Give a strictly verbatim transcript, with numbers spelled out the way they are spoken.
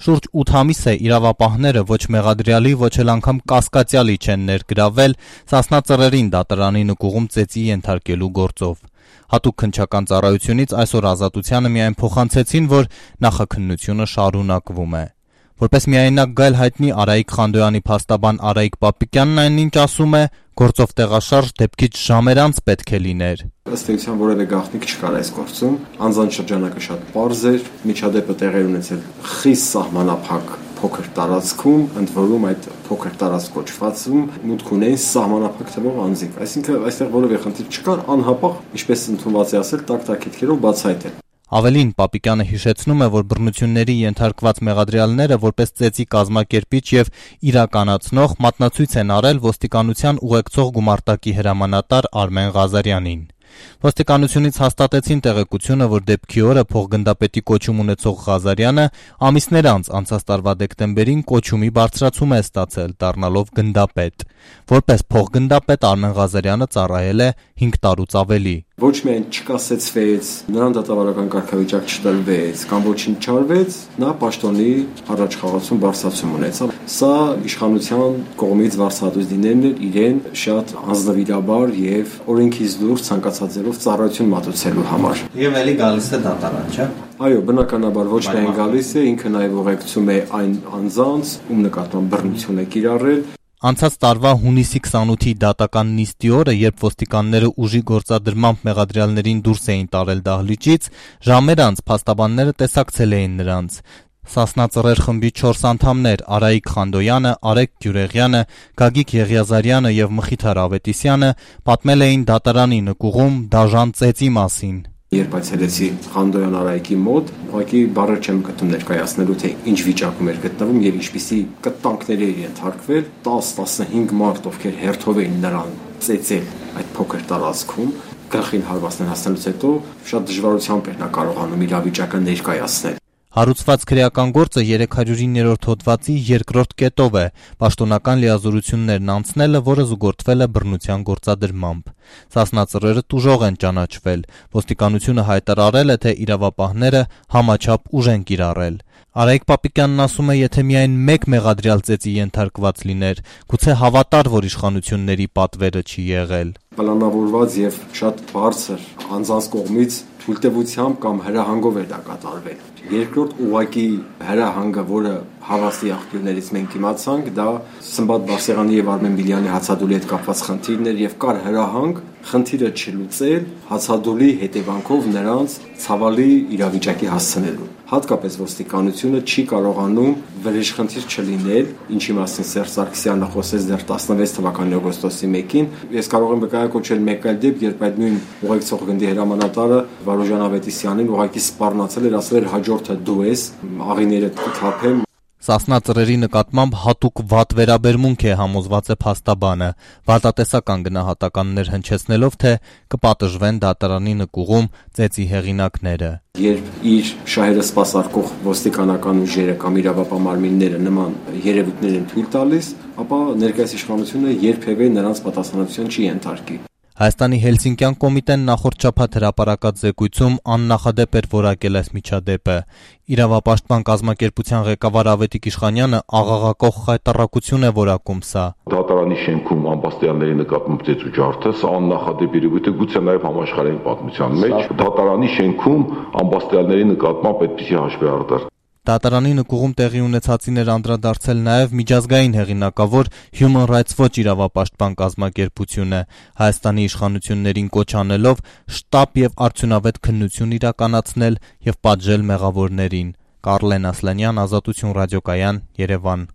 Շուրջ ութ ամիս է իրավապահները ոչ մեղադրյալի, ոչ էլ անգամ կասկածյալի չեն ներգրավել Սասնա Ծռերին դատարանի նկուղում ծեծի ենթարկելու գործով։ Հատուկ քննչական ծառայությունից այսօր Ազատությանը միայն փոխանցեցին, որ նախաքննությունը շարունակվում է։ Որպես միայնակ գայլ հայտնի Արայիկ Խանդոյանի փաստաբան Արայիկ Պապիկյանն այնինչ ասում է, գործով տեղաշարժ դեպքից ժամեր անց պետք է լիներ։ Ըստ էության որևէ գաղտնիք չկար այս գործում, անձանց շրջանակը շատ պարզ էր, միջադեպը տեղի ունեցել խիստ սահմանափակ փոքր տարածքում, ընդ որում այդ փոքր տարածք կոչվածում մուտք ունեն սահմանափակ թվով անձիկ, այսինքն այստեղ որևէ խնդիր չկար, անհապաղ, ինչպես ընդունված է ասել, տակ-տակետքերով բացահայտել։ Ավելին Պապիկյանը հիշեցնում է, որ բռնությունների ենթարկված մեղադրյալները որպես ծեծի կազմակերպիչ եւ իրականացնող մատնացույց են արել ոստիկանության ուղեկցող գումարտակի հրամանատար Արմեն Ղազարյանին։ Ոստիկանությունից հաստատեցին տեղեկությունը, որ դեպքի օրը փոխգնդապետի կոչում ունեցող Ղազարյանը ամիսներ անց անցած տարվա դեկտեմբերին կոչումի բարձրացում է ստացել, դառնալով գնդապետ։ Որպես փոխգնդապետ Արմեն Ղազարյանը ծառայել է հինգ տարուց ավելի։ Ոչ միայն չկասեցվեց, նրան դատավարական կարգավիճակ չտրվեց, կամ ոչինչ չարվեց, նա պաշտոնի առաջխաղացում բարձրացում ունեցավ։ Սա իշխանության կողմից վարձահատույց լինելն էր իրեն շատ անձնվիրաբար եւ օրենքից դուրս ցանկացած ձևով ծառայություն մատուցելու համար։ Եվ էլի գալիս է դատարան, չէ՞։ Այո, բնականաբար ոչ միայն գալիս է, ինքը նաեւ ուղեկցում է այն անձանց, ում նկատմամբ բռնություն է կիրառել։ Անցած տարվա հունիսի քսանութի դատական նիստի օրը, երբ ոստիկանները ուժի գործադրմամբ մեղադրյալներին դուրս էին տարել դահլիճից, ժամեր անց փաստաբանները տեսակցել էին նրանց։ Սասնա Ծռեր խմբի չորս անդամներ Արայիկ Խանդոյանը, Արեգ Գյուրեղյանը, Գագիկ Եղիազարյանը եւ Մխիթար Ավետիսյանը պատմել էին դատարանի նկուղում դաժան ծեծի մասին։ Երբ այցելեցի Խանդոյան Արայիկի մոտ, ուղղակի բառեր չեմ գտնում ներկայացնելու, թե ինչ վիճակում էր գտնվում եւ ինչպիսի կտանքների էր ենթարկվել, տասը տասնհինգ մարդ, ովքեր հերթով էին նրան ծեծել այդ փոքր տարածքում, գլխին հարվածներ հասնելուց հետո շատ դժվարությամբ էր նա կարողանում իր վիճակը ներկայացնել։ Հարուցված քրեական գործը երեք հարյուր իններորդ հոդվածի երկրորդ կետով է, պաշտոնական լիազորություններն անցնելը, որը զուգորդվել է բռնության գործադրմամբ։ Սասնա Ծռերը տուժող են ճանաչվել, ոստիկանությունը հայտարարել է, թե իրավապահները համաչափ ուժ են կիրառել։ Արայիկ Պապիկյանն ասում է, եթե միայն մեկ մեղադրյալ ծեծի ենթարկված լիներ, գուցե հավատար, որ իշխանությունների պատվերը չի եղել։ Պլանավորված եւ շատ բարձր անձանց կողմից թույլտվությամբ կամ հրահանգով էր դա կատարվել։ Երկրորդ ուղղակի հրահանգը, որը հավաստի աղբյուրներից մենք իմացանք, դա Սմբատ Բարսեղյանի եւ Արմեն Բիլյանի հացադուլի հետ կապված խնդիրներ եւ կար հրահանգ խնդիրը չլուծել հացադուլի հետևանքով նրանց ցավալի իրավիճակի հասցնելու։ Հատկապես ոստիկանությունը չի կարողանում վրեժխնդիր չլինել, ինչի մասին Սերժ Սարգսյանը խոսեց դեռ տասնվեց թվականի օգոստոսի մեկին։ Ես կարող եմ վկայակոչել մեկ այլ դեպք, երբ այդ նույն ուղեկցող գնդի հրամանատարը Վարուժան Ավետիսյանին ուղղակի սպառնացել էր, ասել էր հաջորդը դու ես, աղիները կթափեմ։ Սասնա Ծռերի նկատմամբ հատուկ վատ վերաբերմունք է, համոզված է փաստաբանը, վատատեսական գնահատականներ հնչեցնելով, թե կպատժվեն դատարանի նկուղում ծեծի հեղինակները։ Երբ իր շահերը սպասարկող ոստիկանական ուժերը կամ իրավապահ մարմինները նման երևույթներ են թույլ տալիս, ապա ներկայիս իշխանությունը երբևէ նրանց պատասխանատվության չի ենթարկի։ Հայաստանի Հելսինկյան կոմիտեն նախորդ շաբաթ հրապարակած զեկույցում աննախադեպ էր որակել այս միջադեպը։ Իրավապաշտպան կազմակերպության ղեկավար Ավետիք Իշխանյանը աղաղակող խայտառակություն է որակում սա։ Դատարանի շենքում ամբաստիանների նկատմամբ ծեծու ջարդը սա աննախադեպ երևույթ է, գուցե նաև համաշխարհային պատմության մեջ դատարանի շենքում ամբաստիանների նկատմամբ այդպիսի հաշվեհարդար։ Դատարանի նկուղում տեղի ունեցածին էր անդրադարձել նաև միջազգային հեղինակավոր Human Rights Watch իրավապաշտպան կազմակերպությունը, Հայաստանի իշխանություններին կոչ անելով շտապ եւ արդյունավետ քննություն իրականացնել եւ պատժել մեղավորներին։ Կարլեն Ասլանյան, Ազատություն ռադիոկայան, Երևան։